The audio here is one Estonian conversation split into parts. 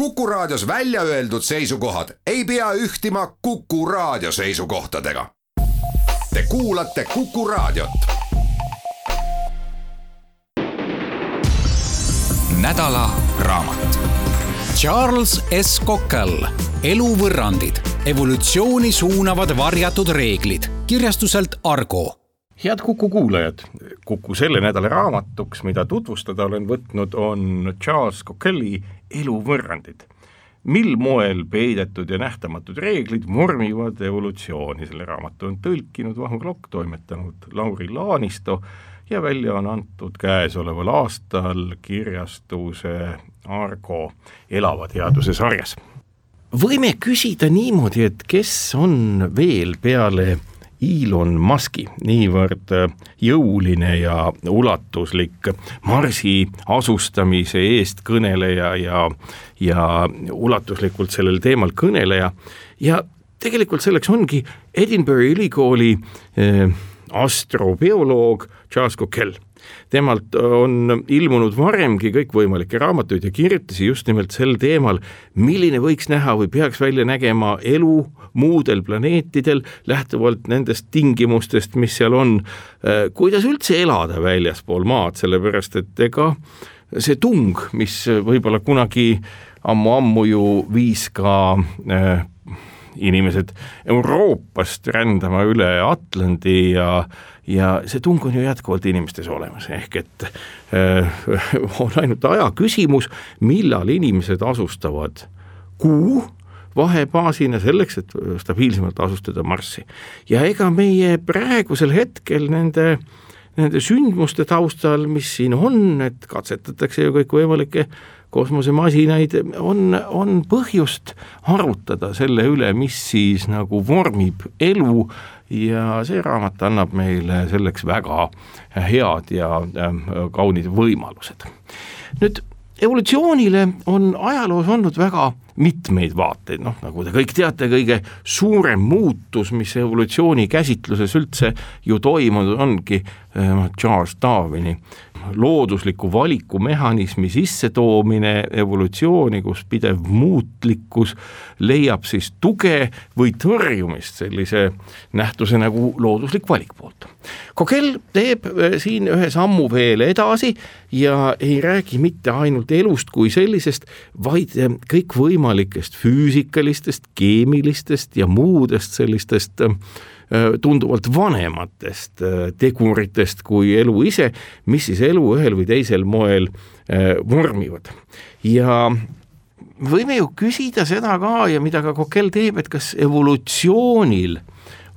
Kuku Raadios välja öeldud seisukohad ei pea ühtima Kuku Raadio seisukohtadega. Te kuulate Kuku Raadiot. Nädala raamat. Charles S. Cockell, Eluvõrrandid, evolutsiooni suunavad varjatud reeglid, kirjastuselt Argo. Head Kuku kuulajad, Kuku selle nädala raamatuks, mida tutvustada olen võtnud, on Charles Cockelli Eluvõrrandid. Mil moel peidetud ja nähtamatud reeglid vormivad evolutsiooni. Selle raamatu on tõlkinud Vahur Lokk, toimetanud Lauri Laanisto ja välja on antud käesoleval aastal kirjastuse Argo elava teaduse sarjas. Võime küsida niimoodi, et kes on veel peale Elon Muski niivõrd jõuline ja ulatuslik Marsi asustamise eest kõneleja ja ulatuslikult sellel teemal kõneleja. Ja tegelikult selleks ongi Edinburghi ülikooli astrobioloog Charles Cockell. Temalt on ilmunud varemgi kõikvõimalikke raamatuid ja kirjutisi just nimelt sel teemal, milline võiks näha või peaks välja nägema elu muudel planeetidel lähtuvalt nendest tingimustest, mis seal on, kuidas üldse elada väljaspool maad, sellepärast et ega see tung, mis võib-olla kunagi ammu ju viis ka inimesed Euroopast rändama üle Atlandi ja see tung on ju jätkuvalt inimestes olemas, ehk et on ainult aja küsimus, millal inimesed asustavad Kuu vahebaasina selleks, et stabiilsemalt asustada Marssi. Ja ega meie praegusel hetkel nende sündmuste taustal, mis siin on, et katsetatakse ju kõik võimalikke kosmosemasinaid, on põhjust arutada selle üle, mis siis nagu vormib elu, ja see raamat annab meile selleks väga head ja kaunid võimalused. Nüüd, evolutsioonile on ajaloos olnud väga mitmeid vaateid, nagu te kõik teate, kõige suurem muutus, mis evolutsiooni käsitluses üldse ju toimunud ongi Charles Darwini loodusliku valikumehhanismi sissetoomine evolutsiooni, kus pidev muutlikkus leiab siis tuge või tõrjumist sellise nähtuse nagu looduslik valik poolt. Cockell teeb siin ühe sammu veel edasi ja ei räägi mitte ainult elust kui sellisest, vaid kõik võimalikest füüsikalistest, keemilistest ja muudest sellistest tunduvalt vanematest teguritest kui elu ise, mis siis elu ühel või teisel moel vormivad. Ja võime ju küsida seda ka, ja mida ka Cockell teeb, et kas evolutsioonil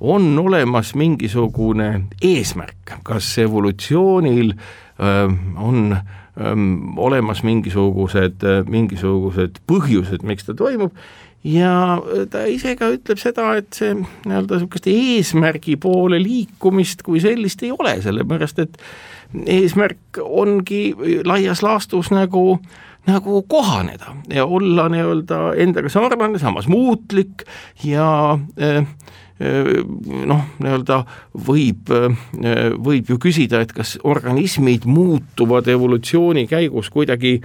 on olemas mingisugune eesmärk, kas evolutsioonil on olemas mingisugused põhjused, miks ta toimub. Ja ta ise ka ütleb seda, et see eesmärgi poole liikumist kui sellist ei ole, sellepärast et eesmärk ongi laias laastus nagu kohaneda ja olla endaga sarnane, samas muutlik ja võib ju küsida, et kas organismid muutuvad evolutsiooni käigus kuidagi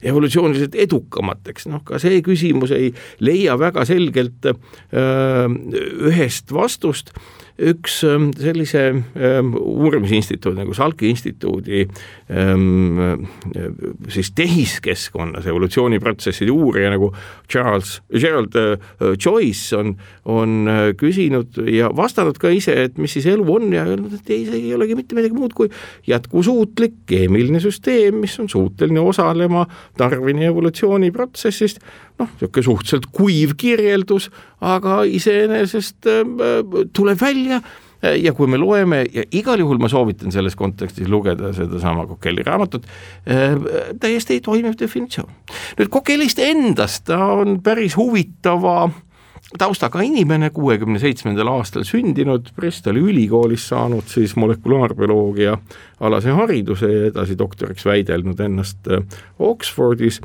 evolutsiooniliselt edukamateks. Ka see küsimus ei leia väga selgelt ühest vastust. Üks sellise uurimisinstituudi nagu Salki instituudi siis tehiskeskkonnas evolutsiooniprotsesside uurija nagu Gerald Joyce on küsinud ja vastanud ka ise, et mis siis elu on, ja öelnud, et ei olegi mitte midagi muud kui jätkusuutlik keemiline süsteem, mis on suuteline osalema Darwini evolutsiooniprotsessist. Suhteliselt kuiv kirjeldus, aga iseenesest tuleb välja, ja kui me loeme, ja igal juhul ma soovitan selles kontekstis lugeda seda sama Cockelli raamatut, täiesti toimiv definitsioon. Nüüd Cockellist endast, ta on päris huvitava taustaga inimene, 67. aastal sündinud, Bristoli ülikoolis saanud siis molekulaarbioloogia alase hariduse ja edasi doktoriks väidelnud ennast Oxfordis.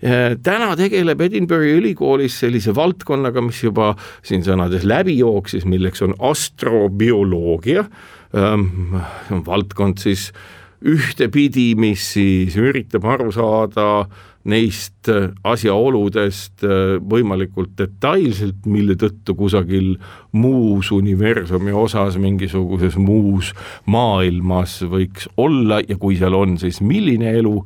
Täna tegeleb Edinburghi ülikoolis sellise valdkonnaga, mis juba siin sõnades läbi jooksis, milleks on astrobioloogia. Valdkond siis ühtepidi, mis siis üritab aru saada neist asjaoludest võimalikult detailselt, mille tõttu kusagil muus universumi osas, mingisuguses muus maailmas võiks olla ja kui seal on, siis milline elu.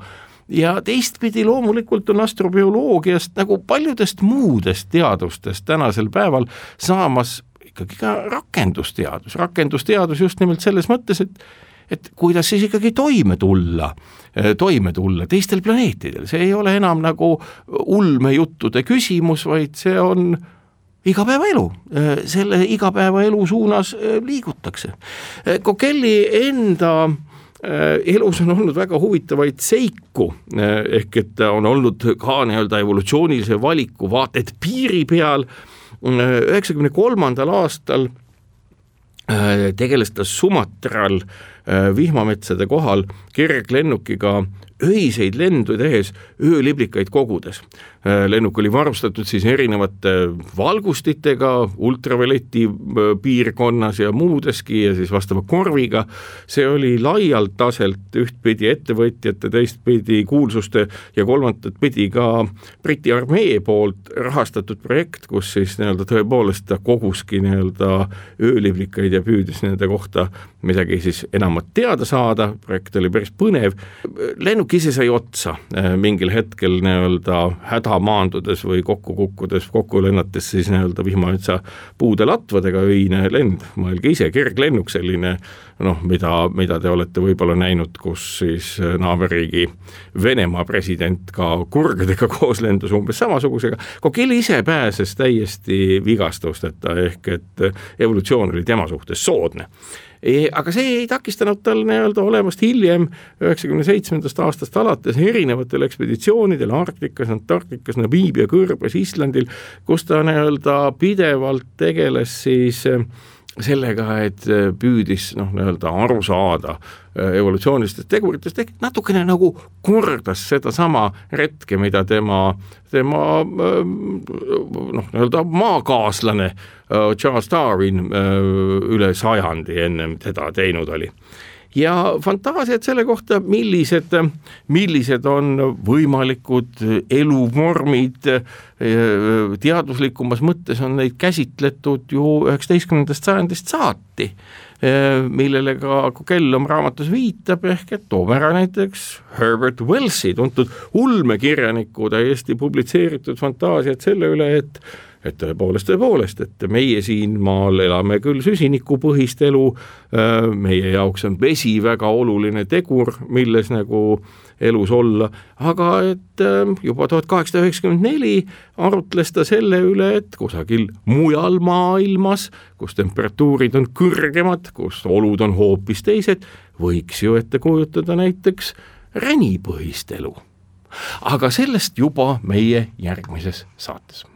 Ja teistpidi loomulikult on astrobioloogiast nagu paljudest muudest teadustest tänasel päeval saamas ikkagi ka rakendusteadus just nimelt selles mõttes, et kuidas siis ikkagi toime tulla teistel planeetidel. See ei ole enam nagu ulmejuttude küsimus, vaid see on igapäevaelu. Selle igapäevaelu suunas liigutakse. Kokelli enda elus on olnud väga huvitavaid seiku, ehk et on olnud ka nii-öelda evolutsioonilise valiku vaated piiri peal. 1993. aastal tegeles ta Sumatral vihmametsade kohal kerglennukiga öiseid lendu tehes ööliblikaid kogudes. Lennuk oli varustatud siis erinevate valgustitega ultravioleti piirkonnas ja muudeski ja siis vastava korviga. See oli laialt taselt ühtpidi ettevõtjate, teistpidi kuulsuste ja kolmandat pidi ka Briti armee poolt rahastatud projekt, kus siis nii-öelda tõepoolest ta koguski nii-öelda ööliblikaid ja püüdis nende kohta midagi siis enamat teada saada. Projekt oli päris põnev. Lennuk ise sai otsa mingil hetkel nii-öelda häda maandudes või kokku lennates siis nii-öelda vihmametsa puude latvadega öine lend. Mõelge ise, kerglennuk selline, mida te olete võib-olla näinud, kus siis naaberriigi Venemaa president ka kurgedega koos lendus umbes samasugusega. Kokelli ise pääses täiesti vigastusteta, ehk et evolutsioon oli tema suhtes soodne. Aga see ei takistanud tal nii-öelda olemast hiljem 97. aastast alates erinevatel ekspeditsioonidel Arktikas, Antarktikas, Namiibia, Kõrbes, Islandil, kus ta nii-öelda pidevalt tegeles siis sellega, et püüdis nii-öelda aru saada evolutsioonilistest teguritest, ehk natukene nagu kordas seda sama retke, mida tema nii-öelda maakaaslane Charles Darwin üle sajandi ennem teda teinud oli. Ja fantaasiad selle kohta, millised on võimalikud eluvormid teaduslikumas mõttes, on neid käsitletud ju 19. sajandist saati, millele ka Kokell oma raamatus viitab, ehk et toome ära näiteks Herbert Wellsi, tuntud ulmekirjaniku täiesti publitseeritud fantaasiad selle üle, et tõepoolest, et meie siin maal elame küll süsinikupõhist elu, meie jaoks on vesi väga oluline tegur, milles nagu elus olla, aga et juba 1894 arutles ta selle üle, et kusagil mujal maailmas, kus temperatuurid on kõrgemad, kus olud on hoopis teised, võiks ju ette kujutada näiteks ränipõhist elu. Aga sellest juba meie järgmises saates.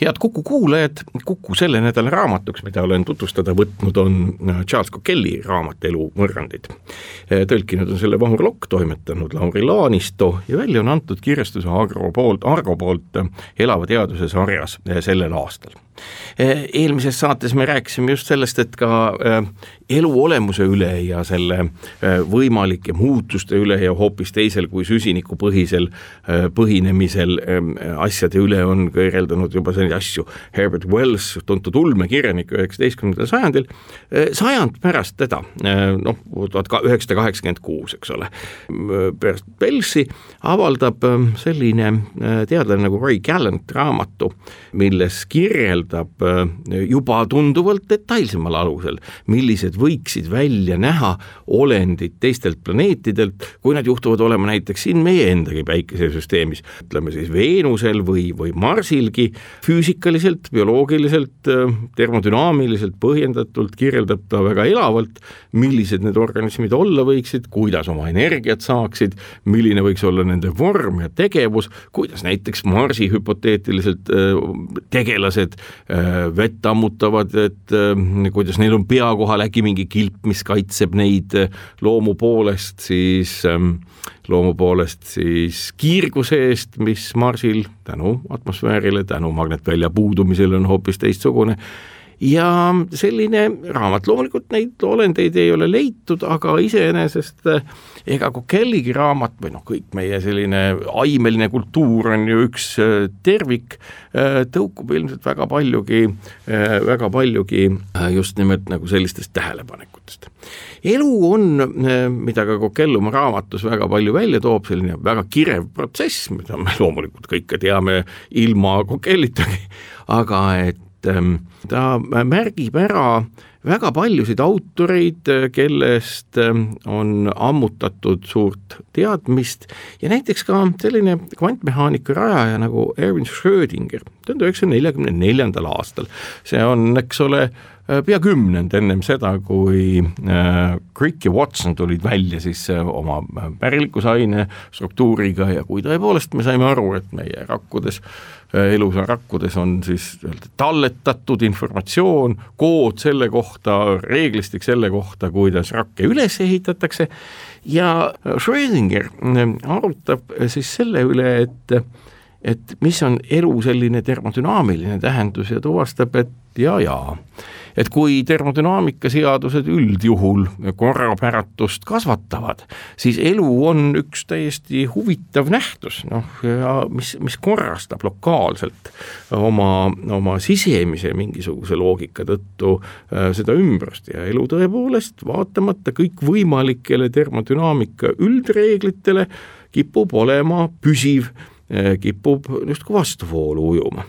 Head Kuku kuulajad, Kuku selle nädala raamatuks, mida olen tutvustada võtnud, on Charles Kokelli raamat Elu võrrandid. Tõlkinud on selle Vahur Lokk, toimetanud Lauri Laanisto ja välja on antud kirjastuse Argo poolt Elava teaduse sarjas sellel aastal. Eelmises saates me rääkisime just sellest, et ka elu olemuse üle ja selle võimalike muutuste üle ja hoopis teisel kui süsinikupõhisel põhinemisel asjade üle on kõireldanud juba selline asju. Herbert Wells, tuntud ulmekirjanik 19. sajandil, sajand pärast teda, 1986, eks ole, pärast Wellsi avaldab selline teadlane nagu Ray Gallant raamatu, milles kirjeldab juba tunduvalt detailsemal alusel, millised võiksid välja näha olendid teistelt planeetidelt, kui nad juhtuvad olema näiteks siin meie endagi päikesesüsteemis, ütleme siis Veenusel või Marsilgi, füüsikaliselt, bioloogiliselt, termodünaamiliselt põhjendatult kirjeldab ta väga elavalt, millised need organismid olla võiksid, kuidas oma energiat saaksid, milline võiks olla nende vorm ja tegevus, kuidas näiteks Marsi hüpoteetiliselt tegelased vett ammutavad, et kuidas neil on pea kohal äkki mingi kilp, mis kaitseb neid loomu poolest siis kiirguse eest, mis Marsil tänu atmosfäärile, tänu magnetvälja puudumisele on hoopis teistsugune. ja selline raamat, loomulikult neid olendeid ei ole leitud, aga iseenesest ega Kokelligi raamat või kõik meie selline aimeline kultuur on ju üks tervik, tõukub ilmselt väga paljugi just nimelt nagu sellistest tähelepanekutest. Elu on, mida ka Kokell oma raamatus väga palju välja toob, selline väga kirev protsess, mida me loomulikult kõike teame ilma Kokellitagi, aga et ta märgib ära väga paljusid autoreid, kellest on ammutatud suurt teadmist ja näiteks ka selline kvantmehaanika rajaja nagu Erwin Schrödinger 1944. aastal. See on, eks ole, pea 10 ennem seda, kui Crick ja Watson tulid välja siis oma pärilikusaine struktuuriga ja kui tõepoolest me saime aru, et meie elusa rakkudes on siis talletatud informatsioon, kood selle kohta, reeglistik selle kohta, kuidas rakke üles ehitatakse ja Schrödinger arutab siis selle üle, et mis on elu selline termodünaamiline tähendus ja tuvastab, et et kui termodünaamika seadused üldjuhul korrapäratust kasvatavad, siis elu on üks täiesti huvitav nähtus, ja mis korrastab lokaalselt oma sisemise mingisuguse loogika tõttu seda ümbrust ja elu tõepoolest vaatamata kõik võimalikele termodünaamika üldreeglitele kipub olema püsiv, kipub justkui vastuvoolu ujuma.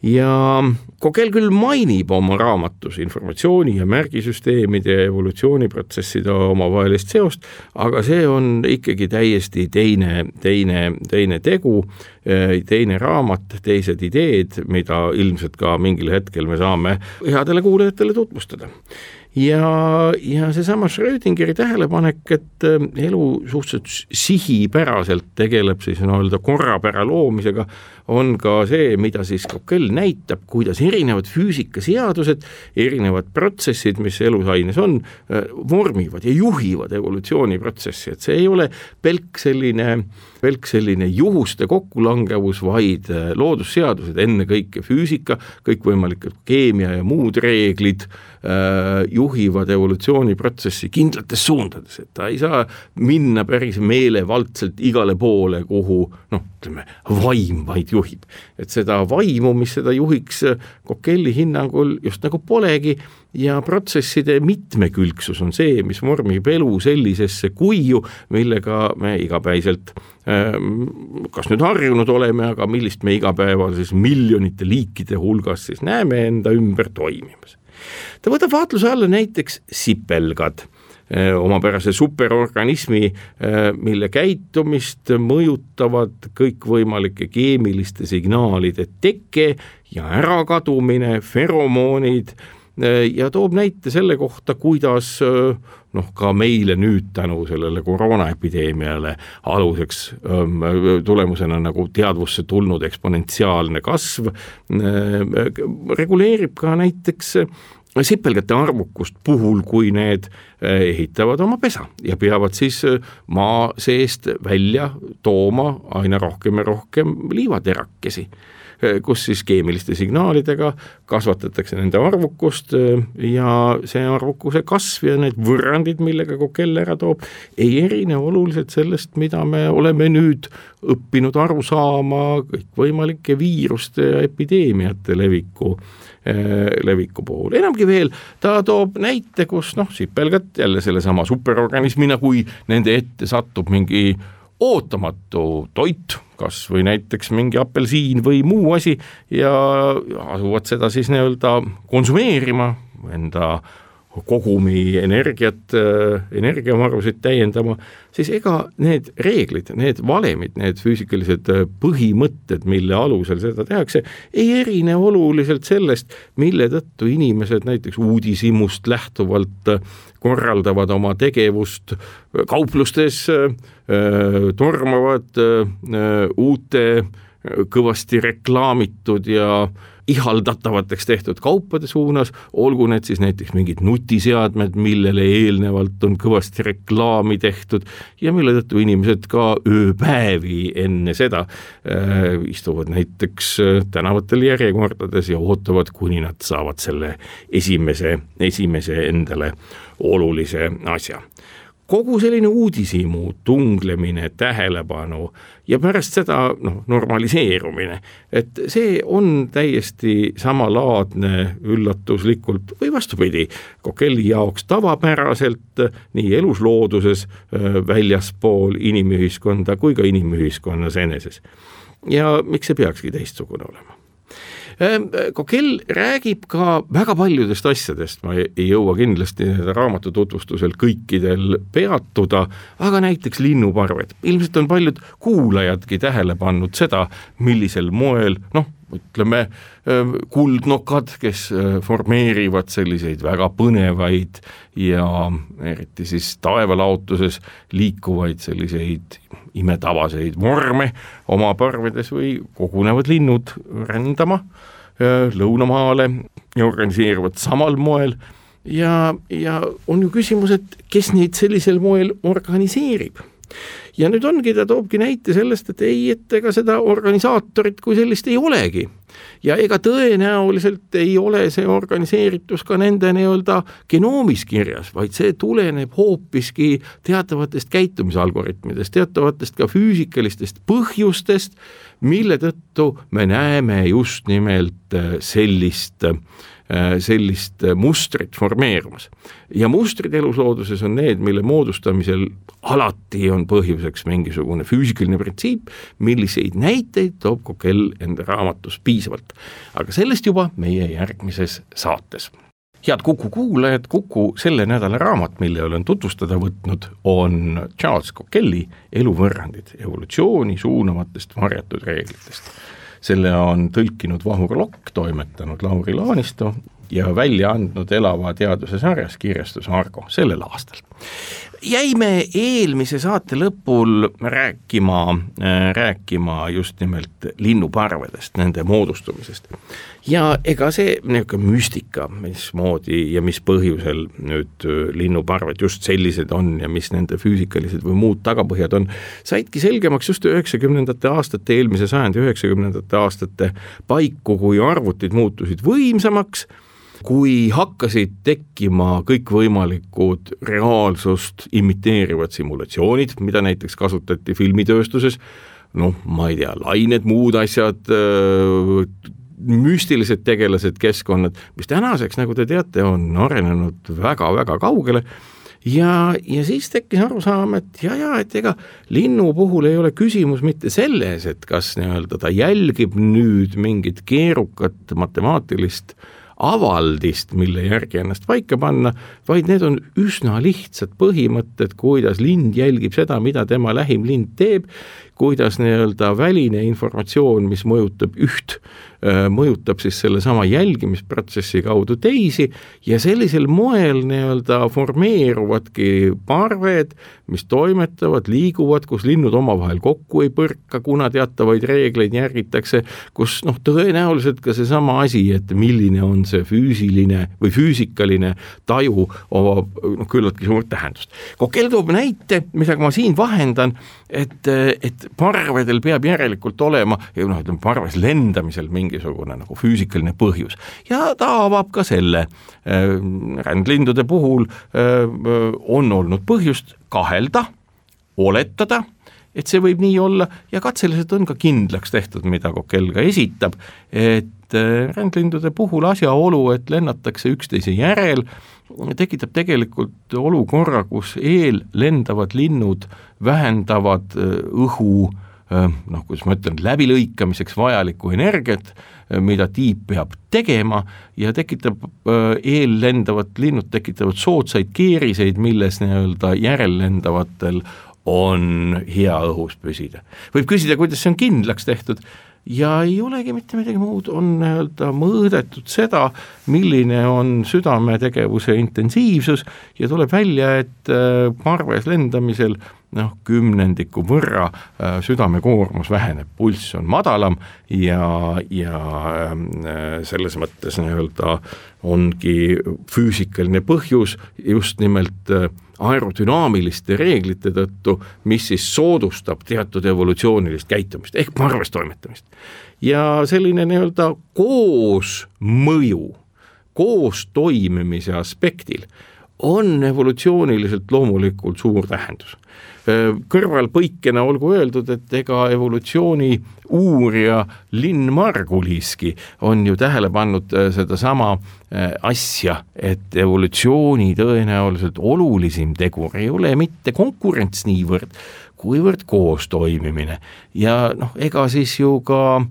Ja Kokell küll mainib oma raamatus informatsiooni ja märgisüsteemide ja evolutsiooniprotsesside omavahelist seost, aga see on ikkagi täiesti teine tegu, teine raamat, teised ideed, mida ilmselt ka mingil hetkel me saame headele kuulajatele tutvustada. Ja seesama Schrödingeri tähelepanek, et elu suhteliselt sihipäraselt tegeleb siis korrapära loomisega, on ka see, mida siis Kokell näitab, kuidas erinevad füüsikaseadused, erinevad protsessid, mis elusaines on, vormivad ja juhivad evolutsiooniprotsessi, et see ei ole pelk selline juhuste kokkulangevus, vaid loodusseadused, enne kõike füüsika, kõikvõimalikud keemia ja muud reeglid juhivad evolutsiooniprotsessi kindlates suundades, et ta ei saa minna päris meelevaldselt igale poole, kuhu vaim vaid juhib. Et seda vaimu, mis seda juhiks Kokelli hinnangul just nagu polegi ja protsesside mitmekülgsus on see, mis vormib elu sellisesse kuiu, millega me igapäiselt kas nüüd harjunud oleme, aga millist me igapäeval siis miljonite liikide hulgas siis näeme enda ümber toimimas. Ta võtab vaatluse alla näiteks sipelgad, omapärase superorganismi, mille käitumist mõjutavad kõikvõimalike keemiliste signaalide teke ja ärakadumine, feromoonid ja toob näite selle kohta, kuidas ka meile nüüd tänu sellele koroonaepideemiale aluseks tulemusena nagu teadvusse tulnud eksponentsiaalne kasv reguleerib ka näiteks sipelgate arvukust puhul, kui need ehitavad oma pesa ja peavad siis maa seest välja tooma aina rohkem ja rohkem liivaterakesi, kus siis keemiliste signaalidega kasvatatakse nende arvukust ja see arvukuse kasv ja need võrrandid, millega Kokell ära toob, ei erine oluliselt sellest, mida me oleme nüüd õppinud aru saama kõikvõimalike viiruste ja epideemiate leviku puhul. Enamgi veel, ta toob näite, kus sipelgad jälle sellesama superorganismina, kui nende ette satub mingi ootamatu toit, kas või näiteks mingi apelsiin või muu asi ja asuvad seda siis konsumeerima, enda kogumi energiavarusid täiendama, siis ega need reeglid, need valemid, need füüsikalised põhimõtted, mille alusel seda tehakse, ei erine oluliselt sellest, mille tõttu inimesed näiteks uudishimust lähtuvalt korraldavad oma tegevust kauplustes, tormavad uute kõvasti reklaamitud ja ihaldatavateks tehtud kaupade suunas, olgu need siis näiteks mingid nutiseadmed, millele eelnevalt on kõvasti reklaami tehtud ja mille tõttu inimesed ka ööpäevi enne seda istuvad näiteks tänavatel järjekordades ja ootavad, kuni nad saavad selle esimese endale olulise asja. Kogu selline uudishimu, tunglemine, tähelepanu ja pärast seda normaliseerumine, et see on täiesti samalaadne üllatuslikult või vastupidi Kokelli jaoks tavapäraselt nii eluslooduses väljaspool inimühiskonda kui ka inimühiskonnas eneses. Ja miks see peakski teistsugune olema? Kokell räägib ka väga paljudest asjadest, ma ei jõua kindlasti raamatu tutvustusel kõikidel peatuda, aga näiteks linnuparved. Ilmselt on paljud kuulajadki tähele pannud seda, millisel moel, ütleme, kuldnokad, kes formeerivad selliseid väga põnevaid ja eriti siis taevalaotuses liikuvaid selliseid imetavaseid vorme oma parvedes või kogunevad linnud rändama lõunamaale ja organiseeruvad samal moel ja on ju küsimus, et kes neid sellisel moel organiseerib. Ja nüüd ongi, ta toobki näite sellest, et ega seda organisaatorit kui sellist ei olegi. Ja ega tõenäoliselt ei ole see organiseeritus ka nende genoomis kirjas, vaid see tuleneb hoopiski teatavatest käitumisalgoritmidest, teatavatest ka füüsikalistest põhjustest, mille tõttu me näeme just nimelt sellist mustrit formeerumas. Ja mustrid eluslooduses on need, mille moodustamisel alati on põhjuseks mingisugune füüsikaline printsiip, milliseid näiteid toob Kokell enda raamatus piisavalt. Aga sellest juba meie järgmises saates. Head Kuku kuulajad, Kuku selle nädala raamat, mille olen tutvustada võtnud, on Charles Kokelli Eluvõrrandid, evolutsiooni suunavatest varjatud reeglitest. Selle on tõlkinud Vahur Lokk, toimetanud Lauri Laanisto ja välja andnud Elava teaduse sarjas kirjastus Argo sellel aastal. Jäime eelmise saate lõpul rääkima just nimelt linnuparvedest, nende moodustumisest. Ja ega see müstika, mismoodi ja mis põhjusel nüüd linnuparved just sellised on ja mis nende füüsikalised või muud tagapõhjad on, saidki selgemaks just 90. aastate, eelmise sajandi 90. aastate paiku, kui arvutid muutusid võimsamaks, kui hakkasid tekkima kõikvõimalikud reaalsust imiteerivad simulatsioonid, mida näiteks kasutati filmitööstuses, ma ei tea, lained, muud asjad, müstilised tegelased, keskkonnad, mis tänaseks, nagu te teate, on arenenud väga-väga kaugele ja siis tekkis arusaam, et ega linnu puhul ei ole küsimus mitte selles, et kas ta jälgib nüüd mingit keerukat matemaatilist avaldist, mille järgi ennast paika panna, vaid need on üsna lihtsad põhimõtted, kuidas lind jälgib seda, mida tema lähim lind teeb, kuidas väline informatsioon, mis mõjutab üht, mõjutab siis selle sama jälgimisprotsessi kaudu teisi ja sellisel moel formeeruvadki parved, mis toimetavad, liiguvad, kus linnud omavahel kokku ei põrka, kuna teatavaid reegleid järgitakse, kus tõenäoliselt ka see sama asi, et milline on see füüsiline või füüsikaline taju omab küllaltki suurt tähendust. Kokell toob näite, mida ma siin vahendan, et parvedel peab järelikult olema, parves lendamisel mingisugune füüsikaline põhjus. Ja ta avab ka selle. Rändlindude puhul on olnud põhjust kahelda, oletada, et see võib nii olla ja katseliselt on ka kindlaks tehtud, mida Kokell ka esitab, et rändlindude puhul asjaolu, et lennatakse üksteise järel, tekitab tegelikult olukorra, kus lendavad linnud vähendavad õhu, kuidas ma ütlen, läbilõikamiseks vajalikku energiat, mida tiib peab tegema ja tekitab lendavad linnud tekitavad soodsaid keeriseid, milles järellendavatel on hea õhus püsida. Võib küsida, kuidas see on kindlaks tehtud ja ei olegi mitte midagi muud, on mõõdetud seda, milline on südametegevuse intensiivsus ja tuleb välja, et parves lendamisel kümnendiku võrra südamekoormus väheneb, pulss on madalam ja selles mõttes nii-öelda ongi füüsikaline põhjus just nimelt aerodünaamiliste reeglite tõttu, mis siis soodustab teatud evolutsioonilist käitumist ehk parves toimetamist. Ja selline nii-öelda koosmõju, koos toimimise aspektil on evolutsiooniliselt loomulikult suur tähendus. Kõrvalpõikena olgu öeldud, et ega evolutsiooni uurija Lynn Marguliski on ju tähele pannud seda sama asja, et evolutsiooni tõenäoliselt olulisim tegur ei ole mitte konkurents niivõrd, kuivõrd koos toimimine. Ja ega siis ju ka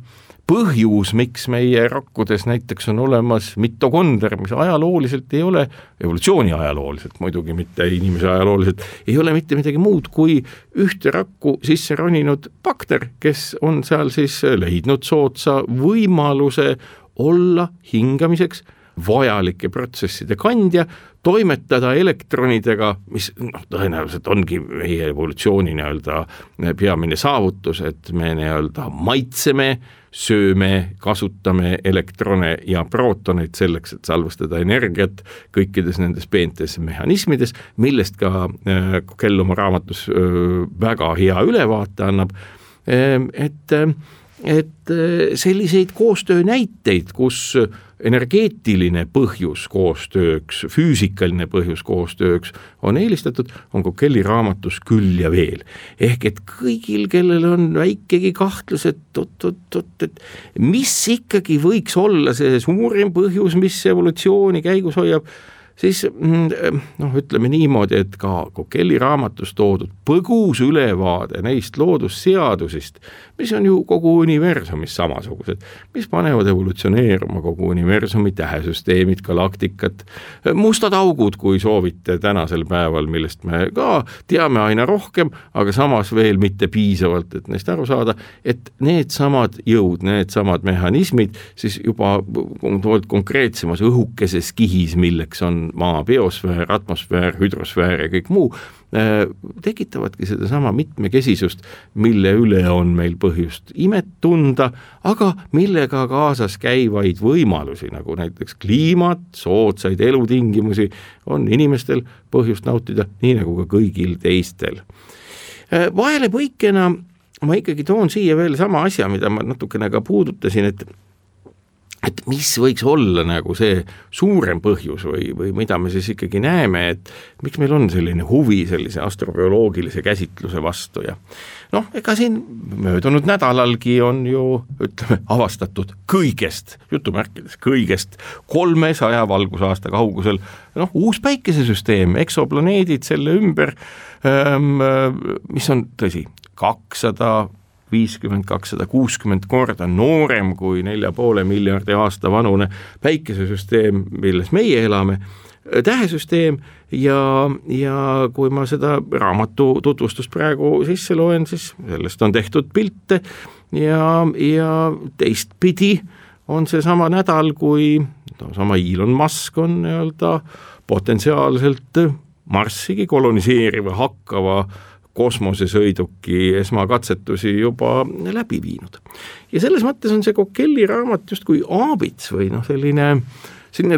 põhjus, miks meie rakkudes näiteks on olemas mitokonder, mis ajalooliselt ei ole, evolutsiooni ajalooliselt, muidugi mitte inimese ajalooliselt, ei ole mitte midagi muud kui ühte rakku sisse roninud bakter, kes on seal siis leidnud soodsa võimaluse olla hingamiseks vajalike protsesside kandja, toimetada elektronidega, mis tõenäoliselt ongi meie evolutsiooni nii-öelda peamine saavutus, et me nii-öelda maitseme, sööme, kasutame elektrone ja prootoneid selleks, et salvestada energiat kõikides nendes peentes mehhanismides, millest ka Kell oma raamatus väga hea ülevaate annab, et selliseid koostöö näiteid, kus energeetiline põhjus koostööks, füüsikaline põhjus koostööks on eelistatud, on Kelly raamatus küll ja veel. Ehk et kõigil, kellel on väikegi kahtlus, et mis ikkagi võiks olla see suurim põhjus, mis evolutsiooni käigus hoiab, siis ütleme niimoodi, et ka Kelly raamatus toodud põgus ülevaade neist loodusseadusist, mis on ju kogu universumis samasugused, mis panevad evolutsioneeruma kogu universumi tähesüsteemid, galaktikat, mustad augud, kui soovite tänasel päeval, millest me ka teame aina rohkem, aga samas veel mitte piisavalt, et neist aru saada, et need samad jõud, need samad mehhanismid siis juba konkreetsemas õhukeses kihis, milleks on maa biosfäär, atmosfäär, hüdrosfäär ja kõik muu, tekitavadki seda sama mitmekesisust, mille üle on meil põhjust imet tunda, aga millega kaasas käivaid võimalusi, nagu näiteks kliimat, soodsaid elutingimusi, on inimestel põhjust nautida, nii nagu ka kõigil teistel. Vahelepõikena ma ikkagi toon siia veel sama asja, mida ma natukene ka puudutasin, et mis võiks olla nagu see suurem põhjus või mida me siis ikkagi näeme, et miks meil on selline huvi sellise astrobioloogilise käsitluse vastu ja ega siin möödunud nädalalgi on ju, ütleme, avastatud kõigest, jutumärkides kõigest 300 valgusaasta kaugusel, uus päikesesüsteem, eksoplaneedid selle ümber, mis on tõsi, 250-260 korda noorem kui 4,5 miljardi aasta vanune päikesesüsteem, milles meie elame, tähesüsteem ja kui ma seda raamatu tutvustust praegu sisse loen, siis sellest on tehtud pilte ja teistpidi on see sama nädal, kui sama Elon Musk on nii-öelda potentsiaalselt Marssigi koloniseeriva hakkava kosmosesõiduki esmakatsetusi juba läbi viinud. Ja selles mõttes on see Kelly raamat just kui aabits või selline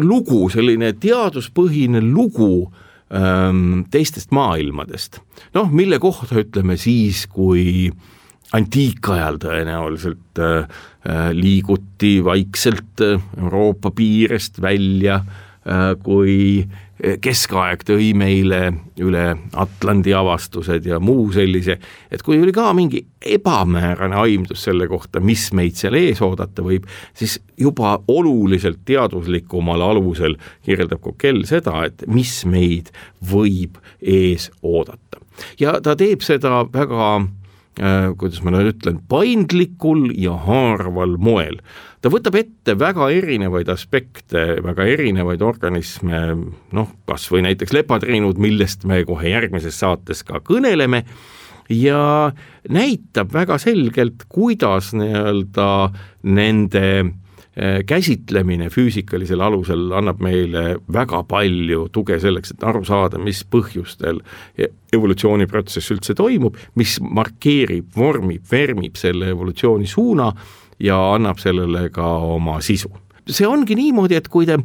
lugu, selline teaduspõhine lugu teistest maailmadest. Mille kohta ütleme siis, kui antiikajal tõenäoliselt liiguti vaikselt Euroopa piirest välja, kui keskaeg tõi meile üle Atlandi avastused ja muu sellise, et kui oli ka mingi ebamäärane aimdus selle kohta, mis meid seal ees oodata võib, siis juba oluliselt teaduslikumal alusel kirjeldab Kell seda, et mis meid võib ees oodata. Ja ta teeb seda väga, kuidas ma nüüd ütlen, paindlikul ja haarval moel. Ta võtab ette väga erinevaid aspekte, väga erinevaid organisme, kas või näiteks lepatriinud, millest me kohe järgmises saates ka kõneleme, ja näitab väga selgelt, kuidas nii-öelda nende käsitlemine füüsikalisel alusel annab meile väga palju tuge selleks, et aru saada, mis põhjustel evolutsiooniprotsess üldse toimub, mis markeerib, vormib, vermib selle evolutsiooni suuna ja annab sellele ka oma sisu. See ongi niimoodi, et kui te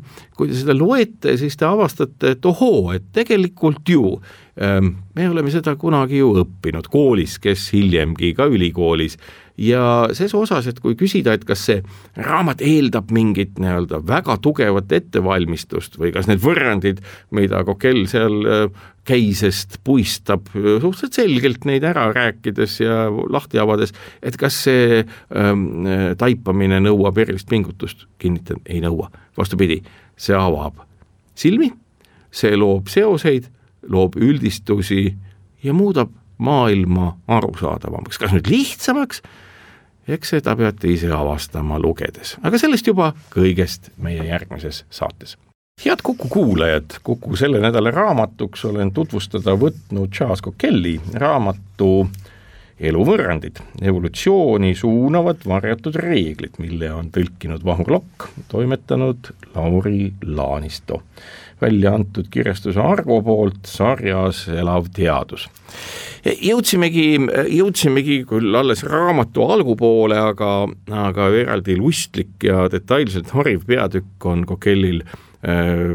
seda loete, siis te avastate, et ohoo, et tegelikult ju me oleme seda kunagi ju õppinud koolis, kes hiljemgi ka ülikoolis ja ses osas, et kui küsida, et kas see raamat eeldab mingit nii-öelda väga tugevat ettevalmistust või kas need võrrandid, mida Coquelle seal käisest puistab suhteliselt selgelt neid ära rääkides ja lahti avades, et kas see taipamine nõuab erilist pingutust, kinnitan, ei nõua. Vastupidi, see avab silmi, see loob seoseid, loob üldistusi ja muudab maailma arusaadavamaks. Kas nüüd lihtsamaks? Eks seda peate ise avastama lugedes. Aga sellest juba kõigest meie järgmises saates. Head Kuku kuulajad, Kuku selle nädala raamatuks olen tutvustada võtnud Charles Coquelle'i raamatu Eluvõrrandid, evolutsiooni suunavad varjatud reeglid, mille on tõlkinud Vahur Lokk, toimetanud Lauri Laanisto. Välja antud kirjastuse Argo poolt sarjas Elav teadus. Jõudsimegi küll alles raamatu algupoole, aga eraldi lustlik ja detailselt hariv peatükk on Coquelle'il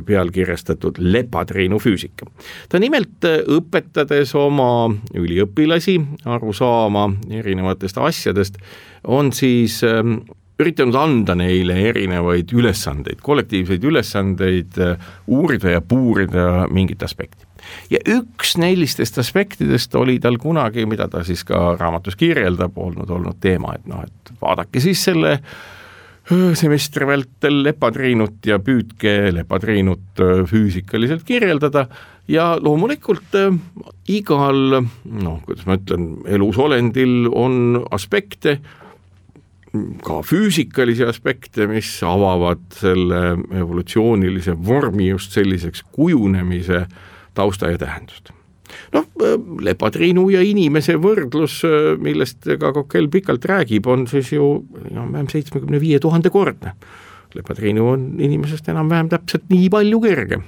pealkirjastatud Lepatriinu füüsika. Ta nimelt õpetades oma üliõpilasi aru saama erinevatest asjadest, on siis üritanud anda neile erinevaid ülesandeid, kollektiivseid ülesandeid, uurida ja puurida mingit aspekti. Ja üks neilistest aspektidest oli tal kunagi, mida ta siis ka raamatus kirjeldab, olnud teema, et vaadake siis selle semestri vältel lepatriinut ja püüdke lepatriinut füüsikaliselt kirjeldada ja loomulikult igal, kuidas ma ütlen, elusolendil on aspekte, ka füüsikalisi aspekte, mis avavad selle evolutsioonilise vormi just selliseks kujunemise tausta ja tähendust. Lepatriinu ja inimese võrdlus, millest ka Coquelle pikalt räägib, on siis ju vähem 75 000 kordne. Lepatriinu on inimesest enam-vähem täpselt nii palju kergem.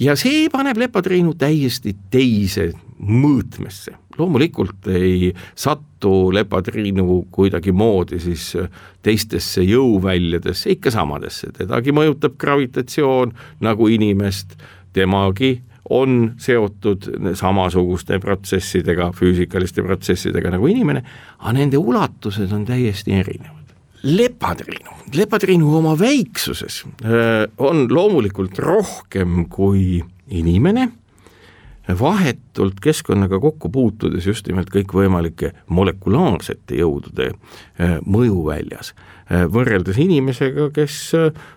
Ja see paneb lepatriinu täiesti teise mõõtmesse. Loomulikult ei sattu lepatriinu kuidagi moodi siis teistesse jõuväljadesse, ikka samadesse. Tedagi mõjutab gravitatsioon nagu inimest, temagi on seotud samasuguste protsessidega, füüsikaliste protsessidega nagu inimene, aga nende ulatused on täiesti erinevad. Lepatriinu oma väiksuses on loomulikult rohkem kui inimene, vahetult keskkonnaga kokku puutudes just nimelt kõik võimalike molekulaarsete jõudude mõjuväljas. Võrreldes inimesega, kes,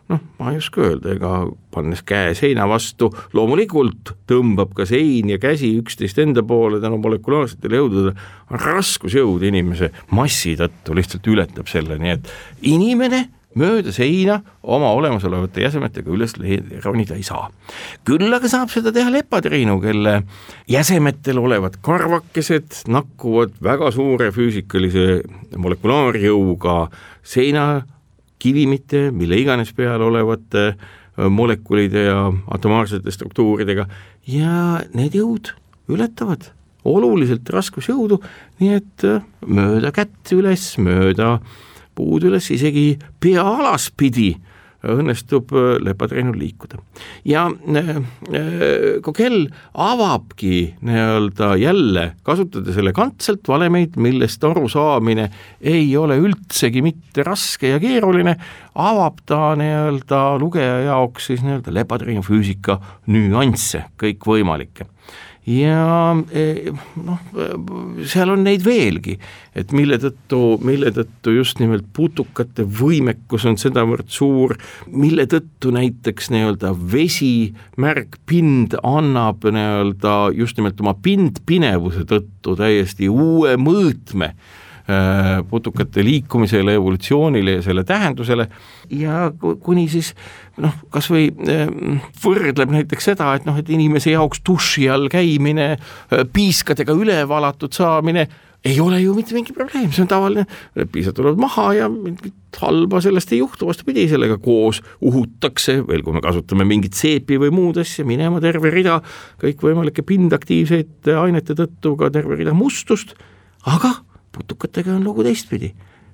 ma ei oska öelda, ega pannes käe seina vastu, loomulikult tõmbab ka sein ja käsi üksteist enda poole tänu molekulaarsetele jõududele, raskusjõud inimese massi tõttu lihtsalt ületab selle, nii et inimene mööda seina oma olemasolevate jäsemetega üles ronida ei saa. Küll aga saab seda teha lepatriinu, kelle jäsemetel olevad karvakesed nakkuvad väga suure füüsikalise molekulaarjõuga seina kivimite, mille iganes peal olevate molekulide ja atomaarsete struktuuridega ja need jõud ületavad oluliselt raskusjõudu, nii et mööda kätt üles, mööda puud üles, isegi pea alaspidi õnnestub lepatriinul liikuda. Ja Coquelle avabki jälle, kasutada elegantselt valemeid, millest aru saamine ei ole üldsegi mitte raske ja keeruline, avab ta lugeja jaoks siis lepatriinu füüsika nüansse, kõik võimalikke. Ja seal on neid veelgi, et mille tõttu just nimelt putukate võimekus on sedavõrd suur, mille tõttu näiteks vesi märgpind annab just nimelt oma pindpinevuse tõttu täiesti uue mõõtme putukate liikumisele, evolutsioonile ja selle tähendusele ja kuni siis kas või võrdleb näiteks seda, et inimese jaoks duši all käimine, piiskadega üle valatud saamine ei ole ju mitte mingi probleem, see on tavaline, piisad tulevad maha ja mingit halba sellest ei juhtu, vastupidi, sellega koos uhutakse, veel kui me kasutame mingit seepi või muud asja, minema terve rida kõikvõimalike pindaktiivseid ainete tõttu ka terve rida mustust, aga putukatega on lugu teistpidi.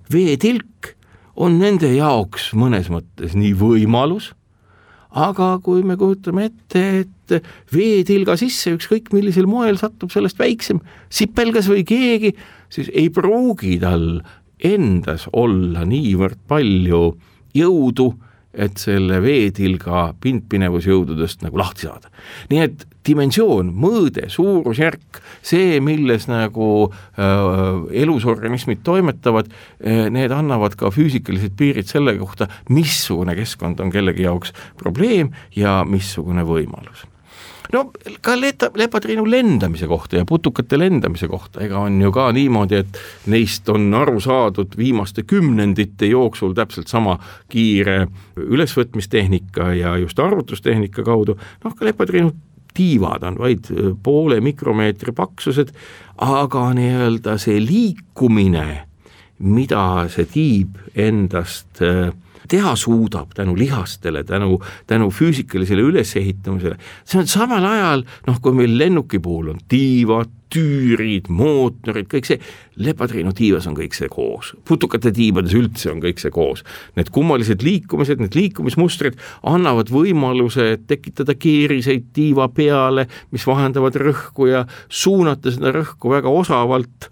Veetilk on nende jaoks mõnes mõttes nii võimalus, aga kui me kujutame ette, et veetilga sisse ükskõik millisel moel satub sellest väiksem sipelgas või keegi, siis ei pruugi tal endas olla niivõrd palju jõudu, et selle veetilga pindpinevusjõududest nagu lahti saada. Nii et dimensioon, mõõde, suurusjärk, see, milles nagu elusorganismid toimetavad, need annavad ka füüsikalised piirid selle kohta, missugune keskkond on kellegi jaoks probleem ja missugune võimalus. No ka lepatriinu lendamise kohta ja putukate lendamise kohta, ega on ju ka niimoodi, et neist on aru saadud viimaste kümnendite jooksul täpselt sama kiire ülesvõtmistehnika ja just arvutustehnika kaudu, noh ka lepatriinu tiivad on vaid poole mikromeetri paksused, aga nii-öelda see liikumine, mida see tiib endast teha suudab tänu lihastele, tänu füüsikalisele ülesehitamisele. See on samal ajal, kui meil lennuki puhul on tiivad, tüürid, mootorid, kõik see, lepatriinu tiivas on kõik see koos. Putukate tiibades üldse on kõik see koos. Need kummalised liikumised, need liikumismustrid annavad võimaluse tekitada keeriseid tiiva peale, mis vahendavad rõhku ja suunata seda rõhku väga osavalt.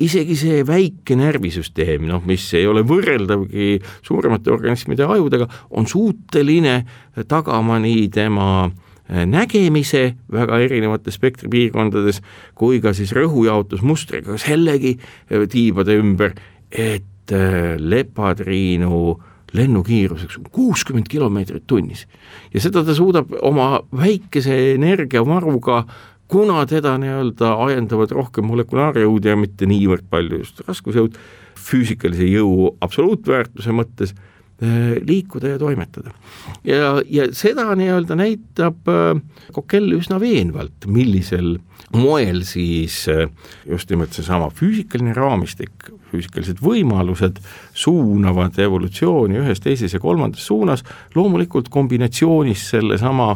Isegi see väike närvisüsteem, mis ei ole võrreldavgi suuremate organismide ajudega, on suuteline tagama nii tema nägemise väga erinevate spektripiirkondades kui ka siis rõhujaotusmustriga sellegi tiibade ümber, et lepatriinu lennukiiruseks 60 kilomeetrit tunnis. Ja seda ta suudab oma väikese energiavaruga, kuna teda nii-öelda ajendavad rohkem molekulaarjõud ja mitte niivõrd palju just raskusjõud, füüsikalise jõu absoluutväärtuse mõttes liikuda ja toimetada. Ja seda nii-öelda näitab Coquelle üsna veenvalt, millisel moel siis just nimelt seesama füüsikaline raamistik, füüsikalised võimalused suunavad evolutsiooni ühes, teises ja kolmandas suunas, loomulikult kombinatsioonis selle sama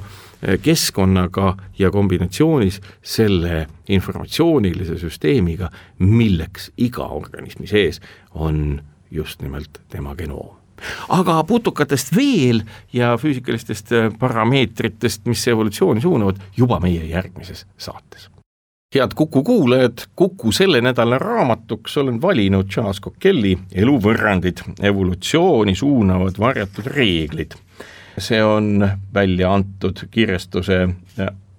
keskkonnaga ja kombinatsioonis selle informatsioonilise süsteemiga, milleks iga organismi sees on just nimelt tema genoom. Aga putukatest veel ja füüsikalistest parameetritest, mis evolutsiooni suunavad, juba meie järgmises saates. Head Kuku kuulajad, Kuku selle nädala raamatuks olen valinud Charles Coquelle'i Eluvõrrandid, evolutsiooni suunavad varjatud reeglid. See on välja antud kirjastuse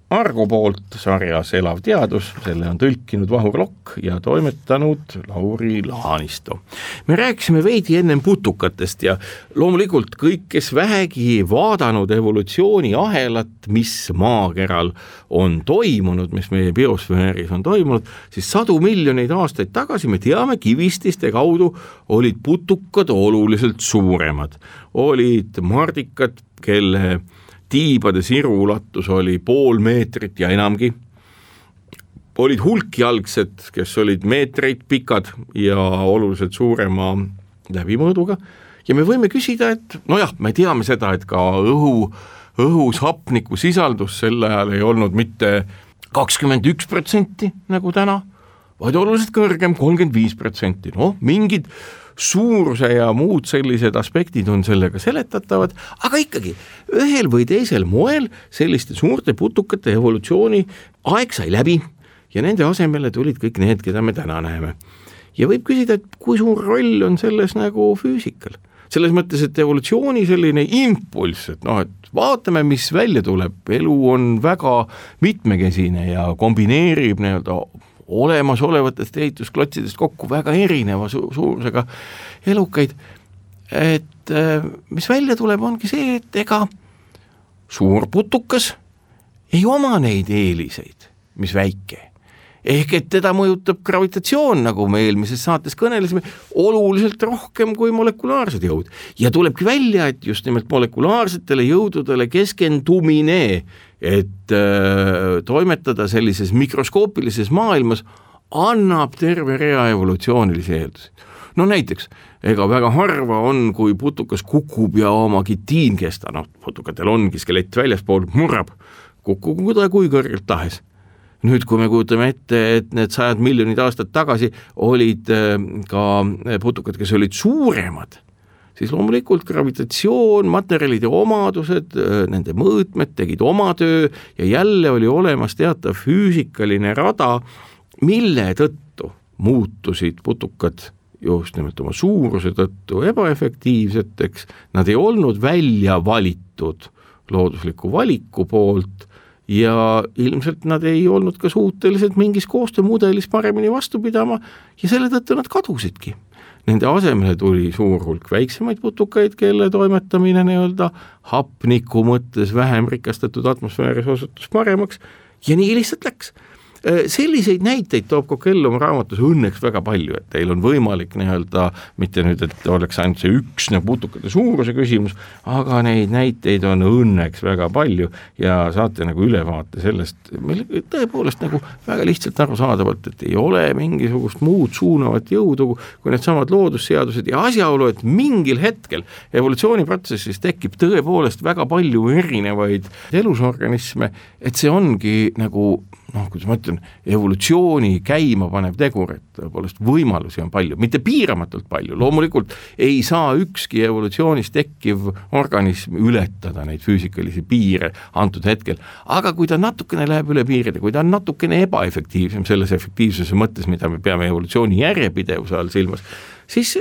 Argo poolt sarjas Elav teadus, selle on tõlkinud Vahur Lokk ja toimetanud Lauri Laanisto. Me rääkisime veidi ennem putukatest ja loomulikult kõik, kes vähegi vaadanud evolutsiooni ahelat, mis maakeral on toimunud, mis meie biosfääris on toimunud, siis 100 miljoneid aastaid tagasi me teame, kivististe kaudu olid putukad oluliselt suuremad. Olid mardikad, kelle tiibade siru ulatus oli 0,5 meetrit ja enamgi. Olid hulkjalgsed, kes olid meetreid pikad ja oluliselt suurema läbimõõduga. Ja me võime küsida, et me teame seda, et ka õhus hapniku sisaldus sel ajal ei olnud mitte 21% nagu täna, vaid oluliselt kõrgem 35%. Mingid suuruse ja muud sellised aspektid on sellega seletatavad, aga ikkagi ühel või teisel moel selliste suurte putukate evolutsiooni aeg sai läbi ja nende asemele tulid kõik need, keda me täna näeme. Ja võib küsida, et kui suur roll on selles nagu füüsikal. Selles mõttes, et evolutsiooni selline impulss, et vaatame, mis välja tuleb. Elu on väga mitmekesine ja kombineerib nii-öelda olemasolevatest ehitusklotsidest kokku väga erineva suurusega elukaid, et mis välja tuleb, ongi see, et ega suur putukas ei oma neid eeliseid, mis väike. Ehk et teda mõjutab gravitatsioon, nagu me eelmises saates kõnelesime, oluliselt rohkem kui molekulaarsed jõud. Ja tulebki välja, et just nimelt molekulaarsetele jõududele keskendumine, et toimetada sellises mikroskoopilises maailmas annab terve rea evolutsioonilisi eeldusi. No näiteks, ega väga harva on, kui putukas kukub ja oma kitiinkesta, putukatel ongi skelett väljaspool, murrab, kukkugu ta kui kõrgelt tahes. Nüüd, kui me kujutame ette, et need 100 miljonid aastat tagasi olid ka putukad, kes olid suuremad, siis loomulikult gravitatsioon, materjalide omadused, nende mõõtmed tegid oma töö ja jälle oli olemas teatav füüsikaline rada, mille tõttu muutusid putukad just nimelt oma suuruse tõttu ebaefektiivseteks, nad ei olnud välja valitud loodusliku valiku poolt ja ilmselt nad ei olnud ka suutelised mingis koostöömudelis paremini vastu pidama ja selle tõttu nad kadusidki. Nende asemele tuli suur hulk väiksemaid putukaid, kelle toimetamine hapniku mõttes vähem rikastatud atmosfääris osutus paremaks ja nii lihtsalt läks. Selliseid näiteid toob Coquelle oma raamatus õnneks väga palju, et teil on võimalik mitte nüüd, et oleks ainult see üks putukate suuruse küsimus, aga neid näiteid on õnneks väga palju ja saate ülevaate sellest, meil tõepoolest väga lihtsalt arusaadavalt, et ei ole mingisugust muud suunavat jõudu kui need samad loodusseadused ja asjaolu, et mingil hetkel evolutsiooniprotsessis tekib tõepoolest väga palju erinevaid elusorganisme, et see ongi kuidas ma ütlen, evolutsiooni käima panev tegur, et tõepoolest võimalusi on palju, mitte piiramatult palju, loomulikult ei saa ükski evolutsioonis tekkiv organism ületada neid füüsikalisi piire antud hetkel, aga kui ta natukene läheb üle piiride, kui ta on natukene ebaefektiivsem selles efektiivsuse mõttes, mida me peame evolutsiooni järjepidevuse all silmas, siis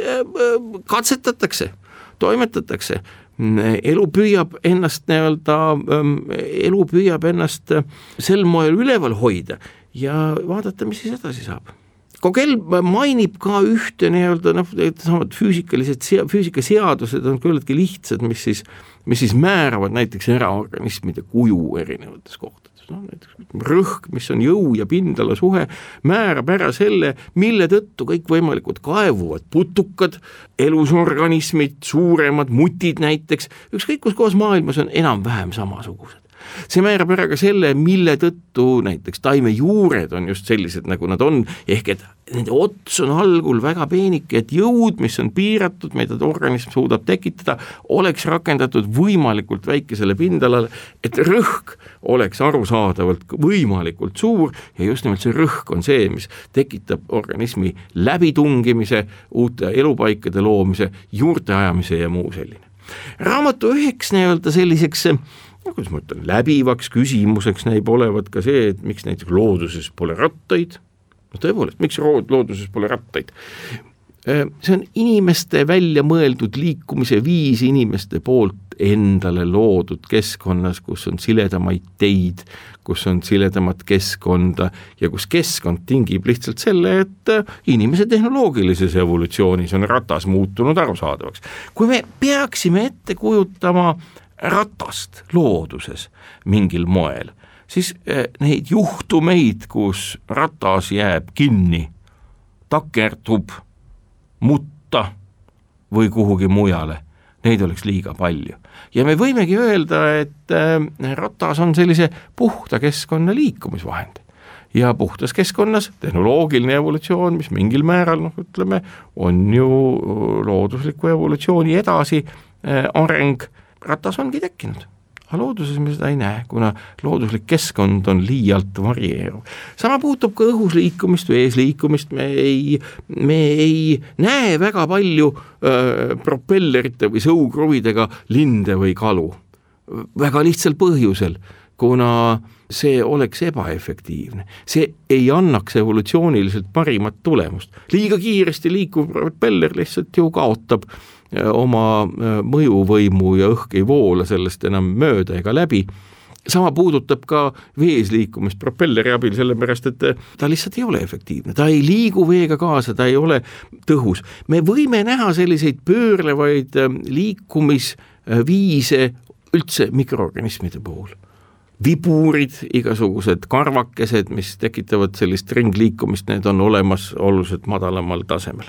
katsetatakse, toimetatakse, elu püüab ennast sel moel üleval hoida ja vaadata, mis siis edasi saab. Coquelle mainib ka ühte füüsikaseadused on küllaltki lihtsad, mis siis määravad näiteks eraorganismide kuju erinevates kohtades. Näiteks rõhk, mis on jõu ja pindala suhe, määrab ära selle, mille tõttu kõik võimalikud kaevuvad putukad, elusorganismid, suuremad mutid näiteks, ükskõik kus kohas maailmas on enam-vähem samasugused. See määrab ära ka selle, mille tõttu näiteks taimejuured on just sellised, nagu nad on, ehk et nende ots on algul väga peenike, et jõud, mis on piiratud, mida organism suudab tekitada, oleks rakendatud võimalikult väikesele pindalale, et rõhk oleks arusaadavalt võimalikult suur ja just nimelt see rõhk on see, mis tekitab organismi läbitungimise, uute elupaikade loomise, juurte ajamise ja muu selline. Raamatu üheks selliseks kuidas ma ütlen, läbivaks küsimuseks näib olevat ka see, et miks näiteks looduses pole rattaid. Tõepoolest, miks looduses pole rattaid? See on inimeste välja mõeldud liikumise viis inimeste poolt endale loodud keskkonnas, kus on siledamaid teid, kus on siledamat keskkonda ja kus keskkond tingib lihtsalt selle, et inimese tehnoloogilises evolutsioonis on ratas muutunud arusaadavaks. Kui me peaksime ette kujutama ratast looduses mingil moel, siis neid juhtumeid, kus ratas jääb kinni, takerdub, mutta või kuhugi mujale, neid oleks liiga palju. Ja me võimegi öelda, et ratas on sellise puhta keskkonna liikumisvahend. Ja puhtas keskkonnas tehnoloogiline evolutsioon, mis mingil määral, on ju loodusliku evolutsiooni edasi areng, ratas ongi tekkinud. Aga looduses me seda ei näe, kuna looduslik keskkond on liialt varieeruv. Sama puutub ka õhus liikumist või ees liikumist, me ei näe väga palju propellerite või sõukruvidega linde või kalu. Väga lihtsal põhjusel, kuna see oleks ebaefektiivne. See ei annaks evolutsiooniliselt parimat tulemust. Liiga kiiresti liikuv propeller lihtsalt ju kaotab oma mõjuvõimu ja õhk ei voola sellest enam mööda ega läbi. Sama puudutab ka vees liikumist propelleri abil, sellepärast, et ta lihtsalt ei ole efektiivne. Ta ei liigu veega kaasa, ta ei ole tõhus. Me võime näha selliseid pöörlevaid liikumisviise üldse mikroorganismide puhul. viburid, igasugused karvakesed, mis tekitavad sellist ringliikumist, need on olemas oluliselt madalamal tasemel.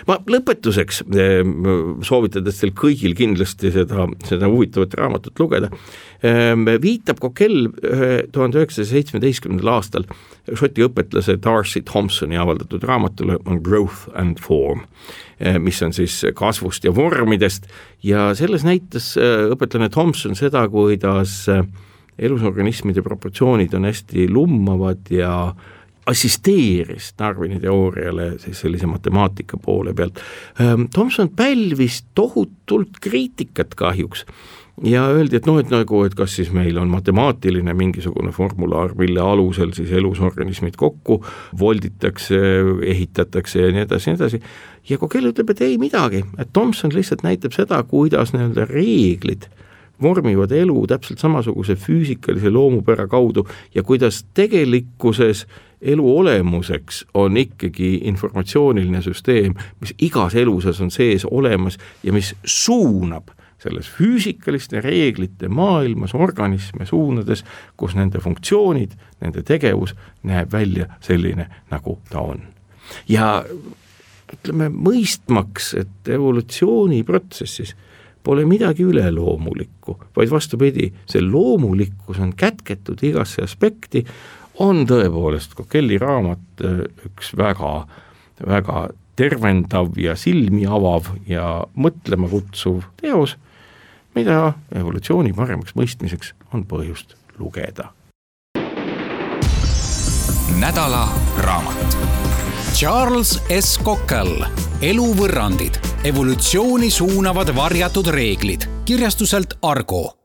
Ma lõpetuseks soovitades teil kõigil kindlasti seda huvitavat raamatut lugeda, viitab Coquelle 1917. aastal Šoti õpetlase Darcy Thompsoni avaldatud raamatule on Growth and Form, mis on siis kasvust ja vormidest ja selles näitas õpetlane Thompson seda, kuidas elusorganismide proportsioonid on hästi lummavad ja assisteeris Darwini teooriale siis sellise matemaatika poole pealt. Thompson pälvis tohutult kriitikat kahjuks ja öeldi, et kas siis meil on matemaatiline mingisugune formulaar, mille alusel siis elusorganismid kokku volditakse, ehitatakse ja nii edasi. Ja Coquelle ütleb, et ei midagi, et Thompson lihtsalt näitab seda, kuidas need reeglid vormivad elu täpselt samasuguse füüsikalise loomupära kaudu ja kuidas tegelikkuses elu olemuseks on ikkagi informatsiooniline süsteem, mis igas eluses on sees olemas ja mis suunab selles füüsikaliste reeglite maailmas organisme suunades, kus nende funktsioonid, nende tegevus näeb välja selline, nagu ta on. Ja ütleme mõistmaks, et evolutsiooniprotsessis pole midagi üleloomulikku, vaid vastupidi, see loomulikkus on kätketud igasse aspekti, on tõepoolest Coquelle'i raamat üks väga, väga tervendav ja silmi avav ja mõtlema kutsuv teos, mida evolutsiooni paremaks mõistmiseks on põhjust lugeda. Nädala raamat. Charles S. Coquelle, Eluvõrrandid, evolutsiooni suunavad varjatud reeglid, kirjastuselt Argo.